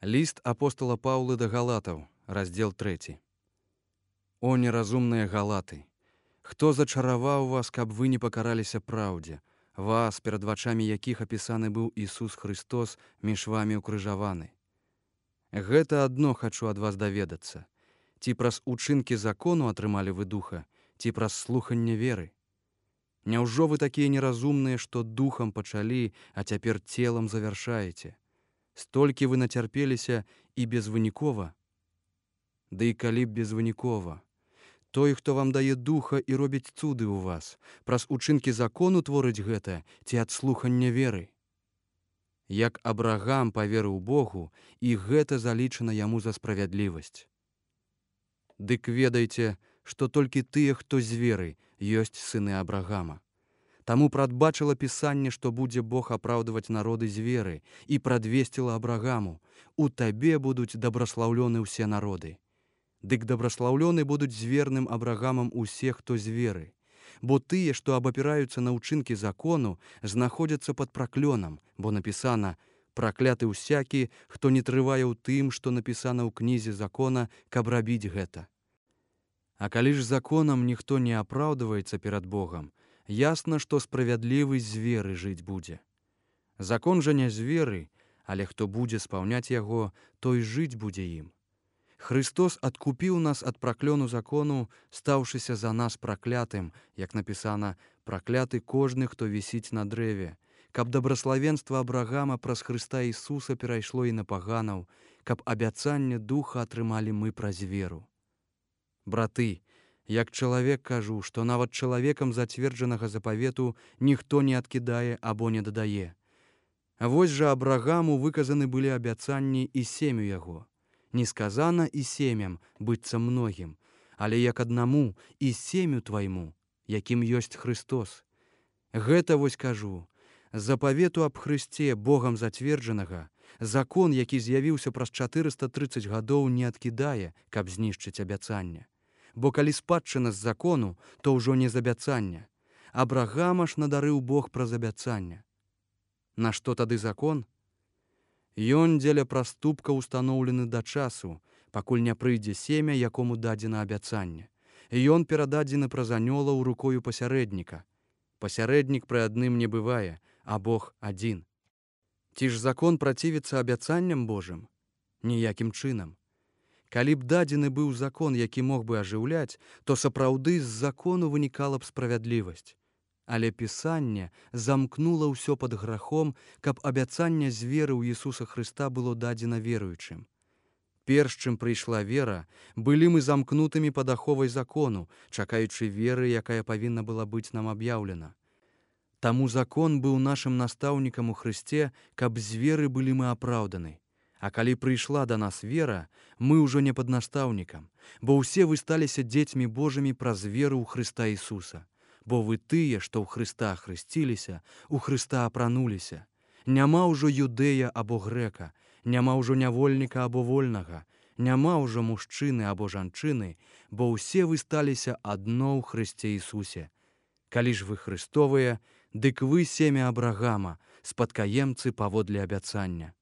Ліст апостала Паўла да галатаў, раздзел 3. О неразумныя галаты! Хто зачараваў вас, каб вы не пакараліся праўдзе, вас, перад вачамі якіх апісаны быў Ісус Христос, між вамі ўкрыжаваны? Гэта адно хачу ад вас даведацца. Ці праз учынкі закону атрымалі вы духа, ці праз слуханне веры? Няўжо вы такія неразумныя, што духам пачалі, а цяпер целам завяршаеце? Столькі вы нацярпеліся і безвынікова? Ды і калі б безвынікова. Той, хто вам дае духа і робіць цуды ў вас, праз учынкі закону творыць гэта ці ад слухання веры? Як Абрагам паверыў Богу, і гэта залічана яму за справядлівасць. Дык ведайце, што толькі тыя, хто з веры, ёсць сыны Абрагама. Таму прадбачыла Пісанне, што будзе Бог апраўдваць народы з веры, і прадвесціла Абрагаму: у табе будуць дабраслаўлёны ўсе народы. Дык дабраслаўлёны будуць з верным Абрагамам усе, хто з веры. Бо тыя, што абапіраюцца на ўчынкі закону, знаходзяцца пад праклёнам, бо напісана: пракляты ўсякі, хто не трывае ў тым, што напісана ў кнізе закона, каб рабіць гэта. А калі ж законам ніхто не апраўдваецца перад Богам, ясна, што справядлівы з веры жыць будзе. Закон жа не з веры, але хто будзе спаўняць яго, той жыць будзе ім. Христос адкупіў нас ад праклёну закону, стаўшыся за нас праклятым, як напісана: пракляты кожны, хто вісіць на дрэве, каб дабраславенства Абрагама праз Хрыста Ісуса перайшло і на паганаў, каб абяцанне духа атрымалі мы праз веру. Браты, як чалавек кажу, што нават чалавекам зацверджанага запавету ніхто не адкідае або не дадае. А вось жа Абрагаму выказаны былі абяцанні і сем'ю яго. Не сказана і сем'ям, быццам многім, але як аднаму і сем'ю твайму, якім ёсць Христос. Гэта вось кажу, запавету аб Хрысце, Богам зацверджанага, закон, які з'явіўся праз 430 гадоў, не адкідае, каб знішчыць абяцанне. Бо калі спадчына з закону, то ўжо не з абяцання. Абрагама ж надарыў Бог праз абяцання. Нашто тады закон? Ён дзеля праступка устаноўлены да часу, пакуль не прыйдзе семя, якому дадзена абяцанне. Ён перададзены праз анёлаў рукою пасярэдніка. Пасярэднік пры адным не бывае, а Бог адзін. Ці ж закон працівіцца абяцанням Божым? Ніякім чынам. Калі б дадзены быў закон, які мог бы ажыўляць, то сапраўды з закону вынікала б справядлівасць. Але Пісанне замкнула ўсё пад грахом, каб абяцанне з веры ў Ісуса Хрыста было дадзена веруючым. Перш чым прыйшла вера, былі мы замкнутымі пад аховай закону, чакаючы веры, якая павінна была быць нам аб'яўлена. Таму закон быў нашым настаўнікам у Хрысце, каб з веры былі мы апраўданы. А калі прыйшла да нас вера, мы ўжо не пад настаўнікам, бо ўсе вы сталіся дзецьмі Божымі праз веру ў Хрыста Ісуса. Бо вы тыя, што ў Хрыста хрысціліся, у Хрыста апрануліся. Няма ўжо юдэя або грэка, няма ўжо нявольніка або вольнага, няма ўжо мужчыны або жанчыны, бо ўсе вы сталіся адно ў Хрысце Ісусе. Калі ж вы Хрыстовыя, дык вы семя Абрагама, спадкаемцы паводле абяцання.